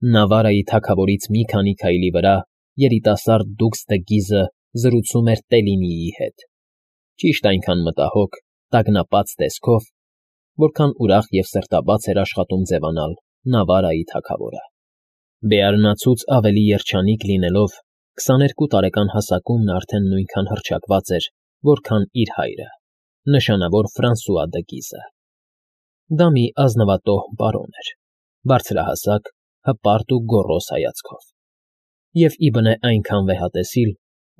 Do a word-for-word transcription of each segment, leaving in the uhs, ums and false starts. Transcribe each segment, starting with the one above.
Նավարայի թագավորից մի քանի քայլի վրա երիտասարդ դուքս դը Գիզը զրուցում էր Տելինիի հետ, ճիշտ այնքան մտահոգ, տագնապած տեսքով, որքան ուրախ և սրտաբաց էր աշխատում ձևանալ Նավարայի թագավորը. Բեարնացուց ավելի երջանիկ լինելով, քսաներկու տարեկան հասակում նա արդեն նույնքան հռչակված էր, որքան իր հայրը, նշանավոր Ֆրանսուଆ դը Գիզը։ Դա մի ազնվատոհ պարոն էր, բարձրահասակ, հպարտ ու գոռոզ հայացքով, և ի բնե այնքան վեհատեսիլ,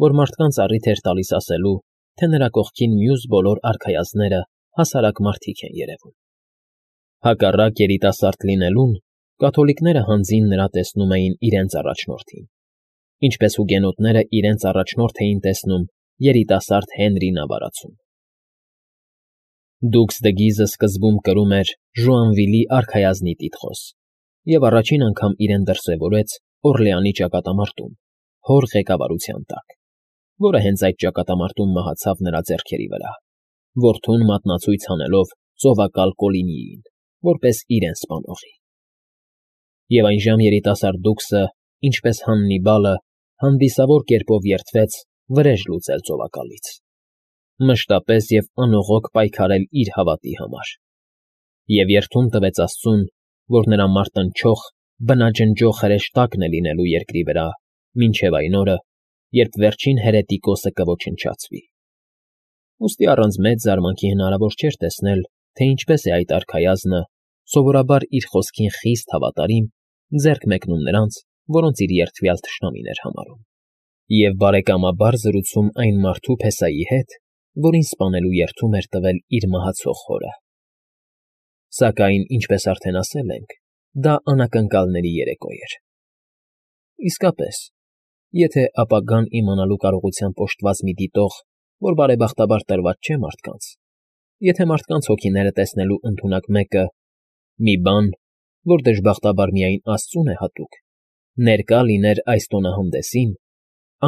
որ մարդկանց առիթ էր տալիս ասելու, թե նրա կողքին մյուս բոլոր արքայազնները հասարակ մարդիկ են երևում։ Հակառակ երիտասարդ լինելուն, կաթոլիկները հանձին նրա տեսնում էին իրենց առաջնորդին, ինչպես հուգենոտները իրենց առաջնորդ էին տեսնում երիտասարդ Հենրի նավարացուն։ Դուքս դը Գիզը սկզբում կրում էր Ժուանվիլի արքայազնի տիտղոս և առաջին անգամ իրեն դրսևորեց Օրլեանի ճակատամարտում, հոր ղեկավարության տակ, որը հենց այդ ճակատամարտում մահացավ նրա ձեռքերի վրա, որդուն մատնացույց հանելով ծովակալ Կոլինիին, որպես իրեն սպանողի։ Եվ այնժամ երիտասարդ դուքսը, ինչպես Հաննիբալը, հանդիսավոր կերպով երդվեց վրեժ լուծել ծովակալից, մշտապես և անողոք պայքարել իր հավատի համար, և երդում տվեց աստծուն, որ նրա մարտնչող, բնաջնջող հրեշտակն է լինելու երկրի վրա մինչև այն օրը, երբ վերջին հերետիկոսը կոչնչացվի։ Ուստի առանց մեծ զարմանքի հնարավոր չէր տեսնել, թե ինչպես է այդ արքայազնը, սովորաբար իր խոսքին խիստ հավատարիմ, ձեռք մեկնում նրանց, որոնց իր երդվյալ թշնամին էր համարում, և բարեկամաբար զրուցում այն մարդու փեսայի հետ, որին սպանելու երդում էր տվել իր մահացող հորը։ Սակայն, ինչպես արդեն ասել ենք, դա անակնկալների երեկո էր։ Իսկապես, եթե ապագան իմանալու կարողությամբ օժտված մի դիտող, որ բարեբախտաբար տրված չէ մարդկանց, եթե մարդկանց հոգիները տեսնելու ընդունակ մեկը, մի բան, որ դժբախտաբար միայն աստծուն է հատուկ, ներկա լիներ այս տոնահանդեսին,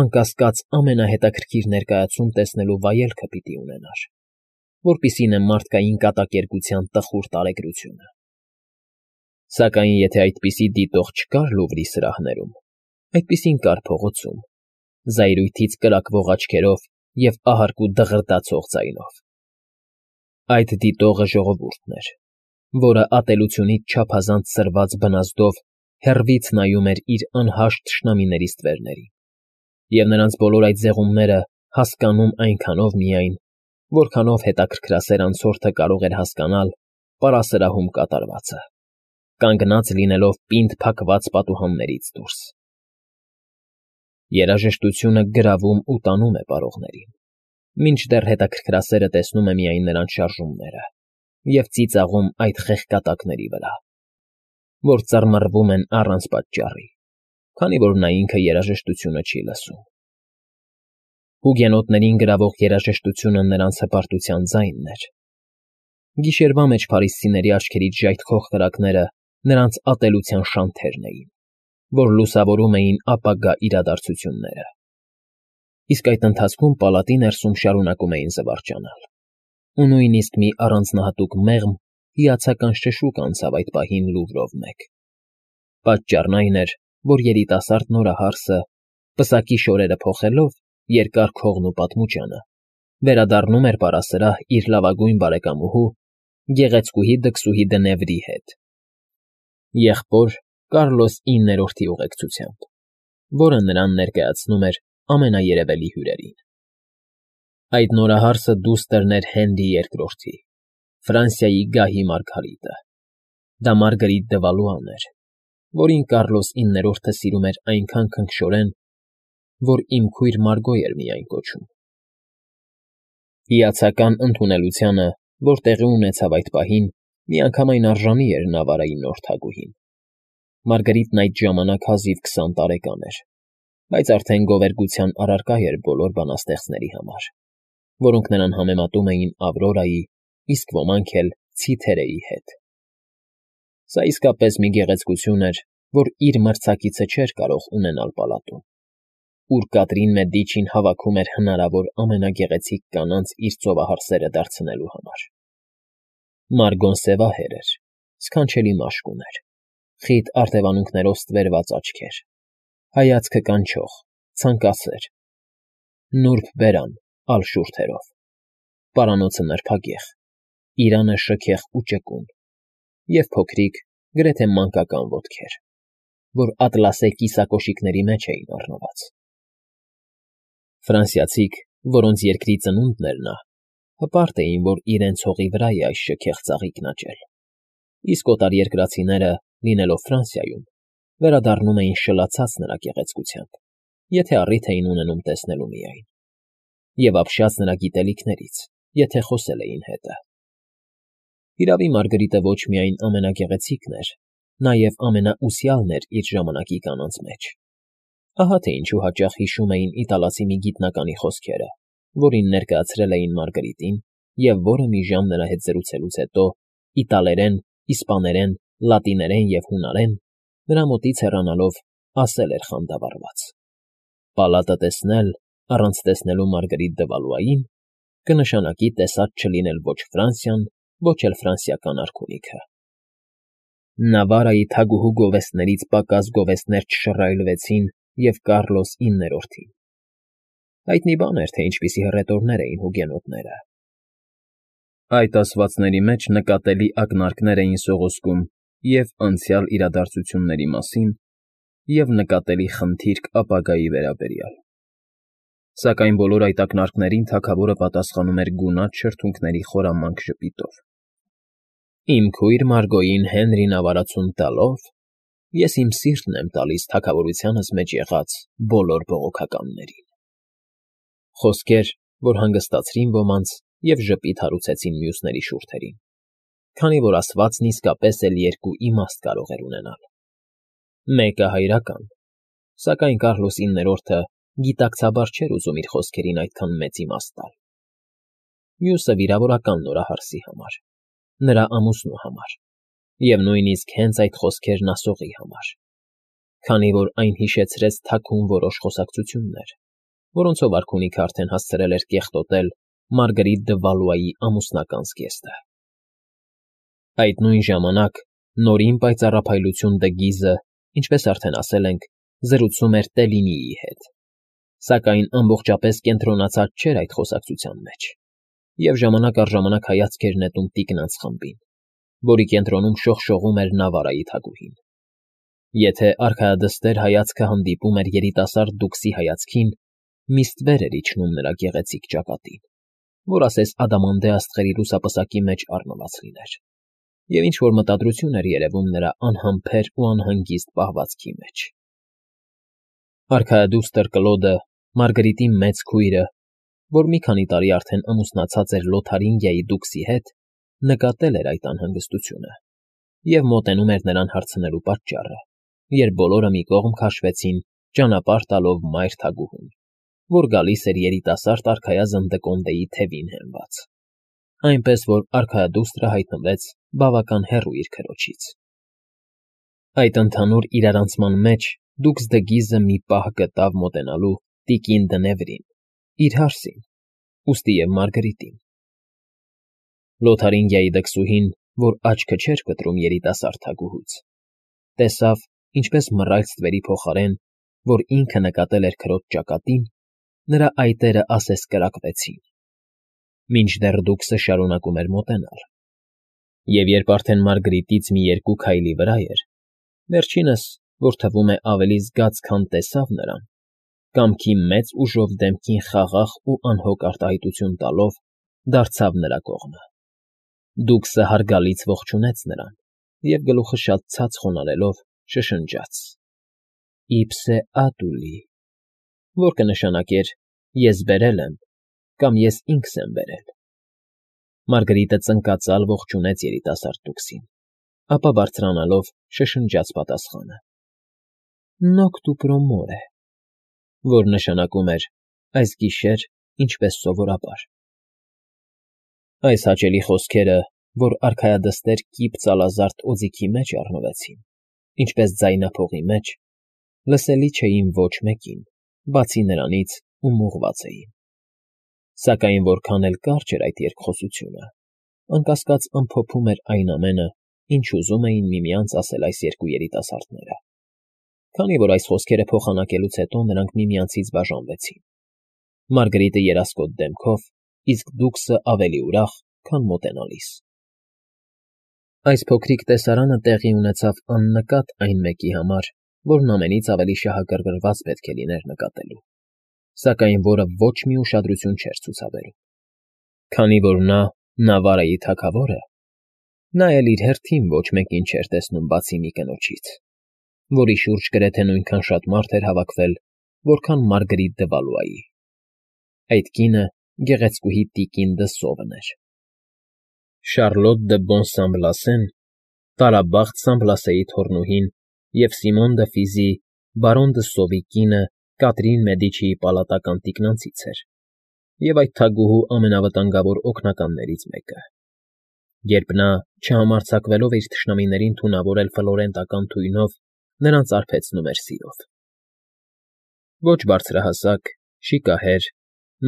անկասկած ամենահետաքրքիր ներկայացում տեսնելու վայելքը պիտի ունենար, որպիսին է մարդկային կատակերգության տխուր տարեգրությունը։ Սակայն եթե այդպիսի դիտող չկար Լուվրի սրահներում, այդպիսին կար փողոցում, զայրույթից կրակվող աչքերով և ահարկու դղրդացող ձայնով։ Այդ դիտողը ժողովուրդն էր, որը ատելությունից չափազանց սրված բնազդով հեռվից նայում էր իր անհաշտ թշնամիների ստվերներին, և նրանց բոլոր այդ զեղումները հասկանում այնքանով միայն, որքանով հետաքրքրասեր անցորդը կարող էր հասկանալ պարասրահում կատարվածը, կանգնած լինելով պինդ փակված պատուհաններից դուրս։ Երաժշտությունը գրավում ու տանում է պարողներին, մինչդեռ հետաքրքրասերը տեսնում է միայն նրանց շարժումները և ծիծաղում այդ խեղկատակների վրա, որ ծռմռվում են առանց պատճառի, քանի որ նա ինքը երաժշտությունը չի լսում։ Հուգենոտներին գրավող երաժշտությունը նրանց հպարտության ձայնն էր։ Գիշերվա մեջ փարիսցիների աչքերից ժայթքող կրակները նրանց ատելության շանթերն էին, որ լուսավորում էին ապագա իրադարձությունները։ Իսկ այդ ընթացքում պալատի ներսում շարունակում էին զվարճանալ, ու նույնիսկ մի առանձնահատուկ մեղմ հիացական շշուկ անցավ այդ պահին Լուվրով մեկ։ Պատճառն այն էր, որ երիտասարդ նորահարսը, պսակի շորերը փոխելով, երկար քողն ու պատմուճանը, վերադառնում էր պարասրահ իր լավագույն բարեկամուհու, գեղեցկուհի դքսուհի Դնևրի հետ, եղբոր Կարլոս իններորդի ուղեկցությամբ, որը նրան ներկայացնում էր ամենաերևելի հյուրերին։ Այդ նորահարսը դուստրն էր Հենրի երկրորդի, Ֆրանսիայի գահի մարգարիտը։ Դա Մարգարիտ դը Վալուան էր, որին Կարլոս իններորդը սիրում էր այնքան քնքշորեն, որ «իմ քույր Մարգո» էր միայն կոչում։ Հիացական ընդունելությանը, որ տեղի ունեցավ այդ պահին, միանգամայն արժանի էր Նավարայի նոր թագուհին։ Մարգարիտն այդ ժամանակ հազիվ քսան տարեկան էր, բայց արդեն գովերգության առարկա էր բոլոր բանաստեղծների համար, որոնք նրան համեմատում էին Ավրորայի, իսկ ոմանք էլ Ցիթերեի հետ։ Սա իսկապես մի գեղեցկություն էր, որ իր մրցակիցը չէր կարող ունենալ պալատում, ուր Կատրին Մեդիչին հավաքում էր հնարավոր ամենագեղեցիկ կանանց իր ծովահարսերը դարձնելու համար։ Մարգոն սևահեր էր, սքանչելի մաշկ ուներ, խիտ արտևանունքներով ստվերված աչքեր, հայացքը կանչող, ցանկասեր, նուրբ բերան ալ շուրթերով, պարանոցը նրբագեղ, իրանը շքեղ ու ճկուն և փոքրիկ, գրեթե մանկական ոտքեր, որ ատլասե կիսակոշիկների մեջ էին առնված։ Ֆրանսիացիք, որոնց երկրի ծնունդն էր նա, հպարտ էին, որ իրենց հողի վրա է այս շքեղ ծաղիկն աճել, իսկ օտարերկրացիները, լինելով Ֆրանսիայում, վերադառնում էին շլացած նրա գեղեցկությամբ, եթե առիթ էին ունենում տեսնելու միայն, և ապշած նրա գիտելիքներից, եթե խոսել էին հետը։ Իրավի Մարգարիտը ոչ միայն ամենագեղեցիկն էր, նաև ամենաուսյալն էր իր ժամանակի կանանց մեջ։ Ահա թե ինչու հաճախ հիշում էին իտալացի մի գիտնականի խոսքերը, որին ներկայացրել էին Մարգարիտին և որը մի ժամ նրա հետ զրուցելուց հետո իտալերեն, իսպաներեն, լատիներեն և հունարեն, նրա մոտից հեռանալով, ասել էր խանդավառված. «Պալատը տեսնել, առանց տեսնելու Մարգարիտ դը Վալուային, կնշանակի տեսած չլինել ոչ Ֆրանսիան, ոչ էլ ֆրանսիական արքունիքը»։ Նավարայի թագուհու գովեստներից պակաս գովեստներ չշռայլվեցին և Կառլոս իններորդին։ Հայտնի բան էր, թե ինչպիսի հռետորներ էին հուգենոտները։ Այդ ասվածների մեջ նկատելի ակնարկներ էին սողոսկում և անցյալ իրադարձությունների մասին, և նկատելի խնդիրք ապագայի վերաբերյալ։ Սակայն բոլոր այդ ակնարկներին թագավորը պատասխանում էր գունատ շրթունքների խորամանկ ժպիտով։ «Իմ քույր Մարգոյին Հենրին ավարացում տալով, ես իմ սիրտն եմ տալիս թագավորությանս մեջ եղած բոլոր բողոքականներին»։ Խոսքեր, որ հանգստացրին ոմանց և ժպիտ հարուցեցին մյուսների շուրթերին, քանի որ ասվածն իսկապես էլ երկու իմաստ կարող էր ունենալ. մեկը հայրական, սակայն Կառլոս իններորդը գիտակցաբար չէր ուզում իր խոսքերին այդքան մեծ իմաստ տալ. մյուսը վիրավորական նորահարսի համար, նրա ամուսնու համար, և նույնիսկ հենց այդ խոսքերն ասողի համար, քանի որ այն հիշեցրեց թաքուն որոշ խոսակցություններ, որոնցով արքունիքը արդեն հասցրել էր կեղտոտել Մարգարիտ դը Վալուայի ամուսնական զգեստը։ Այդ նույն ժամանակ նորին պայծառափայլություն դը Գիզը, ինչպես արդեն ասել ենք, զրուցում էր Տելինիի հետ, սակայն ամբողջապես կենտրոնացած չէր այդ խոսակցության մեջ, և ժամանակ առ ժամանակ հայացք էր նետում տիկնանց խմբին, որի կենտրոնում շողշողում էր Նավարայի թագուհին։ Եթե արքայադստեր հայացքը հանդիպում էր երիտասարդ դուքսի հայացքին, մի ստվեր էր իջնում նրա գեղեցիկ ճակատին, որ ասես ադամանդե աստղերի լուսապսակի մեջ առնված լիներ, և ինչ֊որ մտադրություն էր երևում նրա անհամբեր ու անհանգիստ պահվածքի մեջ։ Արքայադուստր Կլոդը, Մարգարիտի մեծ քույրը, որ մի քանի տարի արդեն ամուսնացած էր Լոթարինգիայի դուքսի հետ, նկատել էր այդ անհանգստությունը և մոտենում էր նրան հարցնելու պատճառը, երբ բոլորը մի կողմ քաշվեցին, ճանապարհ տալով մայր թագուհուն, որ գալիս էր երիտասարդ արքայազն Դկոնդեի թևին հենված, այնպես որ արքայադուստրը հայտնվեց բավական հեռու իր քրոջից։ Այդ ընդհանուր իրարանցման մեջ դուքս դը Գիզը մի պահ գտավ մոտենալու տիկին Դնևրին, իր հարսին, ուստի և Մարգարիտին։ Լոթարինգիայի դքսուհին, որ աչքը չէր կտրում երիտասարդ թագուհուց, տեսավ, ինչպես մռայլ ստվերի փոխարեն, որ ինքը նկատել էր քրոջ ճակատին, նրա այտերը ասես կրակվեցին, մինչդեռ դուքսը շարունակում էր մոտենալ, և երբ արդեն Մարգարիտից մի երկու քայլի վրա էր, վերջինս, որ թվում է ավելի զգաց, քան տեսավ նրան, կամքի մեծ ուժով դեմքին խաղաղ ու անհոգ արտահայտություն տալով, դարձավ նրա կողմը։ Դուքսը հարգալից ողջունեց նրան և գլուխը շատ ցած խոնարհելով շշնջաց. «Իպսե ատուլի», որ կնշանակեր «ես բերել եմ» կամ «ես ինքս եմ բերել»։ Մարգարիտը ծնկածալ ողջունեց երիտասարդ դուքսին, ապա բարձրանալով շշնջաց պատասխանը. «Նոկտու պրոմորե», որ նշանակում էր «այս գիշեր, ինչպես սովորաբար»։ Այս հաճելի խոսքերը, որ արքայադստեր կիպ ծալազարդ օձիքի մեջ առնվեցին, ինչպես ձայնափողի մեջ, լսելի չէին ոչ մեկին, բացի նրանից, ում ուղղված էին։ Սակայն որքան էլ կարճ էր այդ երկխոսությունը, անկասկած ամփոփում էր այն ամենը, ինչ ուզում էին միմյանց ասել այս երկու երիտասարդները։ Քանի որ այս խոսքերը փոխանակելուց հետո նրանք միմյանցից բաժանվեցին։ Մարգարիտը երասկոտ դեմքով, իսկ Դուքսը ավելի ուրախ, քան մոտենալիս։ Այս փոքրիկ տեսարանը տեղի ունեցավ աննկատ այն մեկի համար, որն ամենից ավելի շահագրգռված պետք է լիներ նկատելու, սակայն որը ոչ մի ուշադրություն չէր ցուցաբերում։ Քանի որ նա Նավարայի թագավորը, նա էլ իր հերթին ոչ մեկին չէր տեսնում բացի մի կնոջից, որի շուրջ գրեթե նույնքան շատ մարդ էր հավաքվել, որքան Մարգարիտ դը Վալուայի։ Այդ կինը գեղեցկուհի տիկին դը Սովն էր։ Շարլոտ դը Բոնսամբլասեն, տարաբախտ Սամբլասեի թոռնուհին և Սիմոն դը Ֆիզի, բարոն դը Սովի կինը Կատրին Մեդիչիի պալատական թիկնանցից էր և այդ թագուհու ամենավտանգավոր օգնականներից մեկը։ Երբ նա, չհամարձակվելով իր թշնամիներին թունավորել ֆլորենտական թույնով, նրանց արբեցնում էր սիրով։ Ոչ բարձրահասակ, շիկահեր,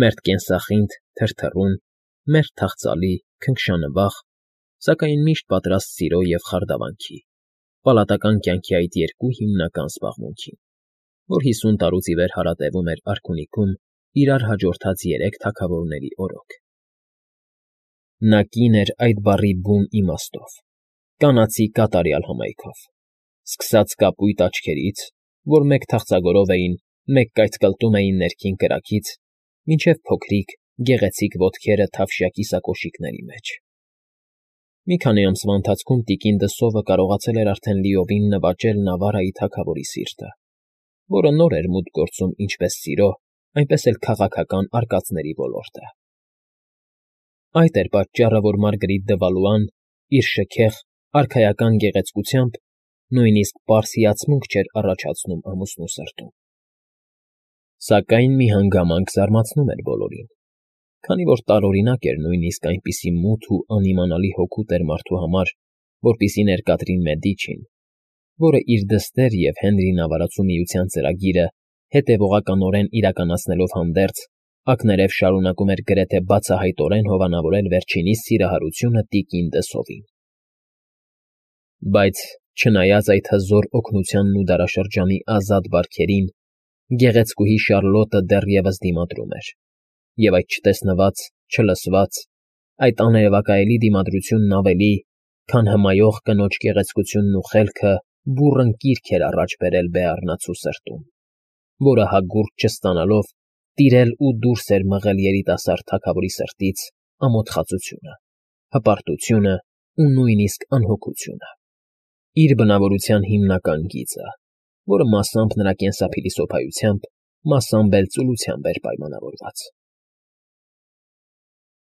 մերթ կենսախինդ, թրթռուն, մերթ թախծալի, քնքշանվախ, սակայն միշտ պատրաստ սիրո և խարդավանքի, պալատական կյանքի այդ երկու հիմնական զբաղմունքին, որ հիսուն տարուց ի վեր հարատևում էր արքունիքում իրար հաջորդած երեք թագավորների օրոք։ Նա կին էր այդ բառի բուն իմաստով, կանացի կատարյալ հմայքով, սկսած կապույտ աչքերից, որ մեկ թախծագորով էին, մեկ կայծկլտում էին ներքին կրակից, մինչև փոքրիկ, գեղեցիկ ոտքերը թավշյա կիսակոշիկների մեջ։ Մի քանի ամսվա ընթացքում տիկին դը Սովը կարողացել էր արդեն լիովին նվաճել Նավարայի թագավորի սիրտը, որը նոր էր մուտք գործում ինչպես սիրո, այնպես էլ քաղաքական արկածների ոլորտը։ Այդ էր պատճառը, որ Մարգարիտ դը Վալուան իր շքեղ, արքայական գեղեցկությամբ նույնիսկ պարզ հիացմունք չէր առաջացնում ամուսնու սրտում։ Սակայն մի հանգամանք զարմացնում էր բոլորին, քանի որ տարօրինակ էր նույնիսկ այնպիսի մութ ու անիմանալի հոգու տեր մարդու համար, որպիսին էր Կատրին Մեդիչին, որը իր դստեր և Հենրի նավարածու միության ծրագիրը հետևողականորեն իրականացնելով հանդերձ, ակներև շարունակում էր գրեթե բացահայտորեն հովանավորել վերջինիս սիրահարությունը տիկին դը Սովին։ Բայց, չնայած այդ հզոր օգնությանն ու դարաշրջանի ազատ բարքերին, գեղեցկուհի Շարլոտը դեռևս դիմադրում էր, և այդ չտեսնված, չլսված, այդ աներևակայելի դիմադրությունն ավելի, քան հմայող կնոջ գեղեցկությունն ու խելքը բուռն կիրք էր առաջ բերել բեառնացու սրտում, որը հագուրդ չստանալով տիրել ու դուրս էր մղել երիտասարդ թագավորի սրտից ամոթխածությունը, հպարտությունը ու նույնիսկ անհոգությունը, իր բնավորության հիմնական գիծը, որը մասամբ նրա կենսափիլիսոփայությամբ, մասամբ էլ ծուլությամբ էր պայմանավորված։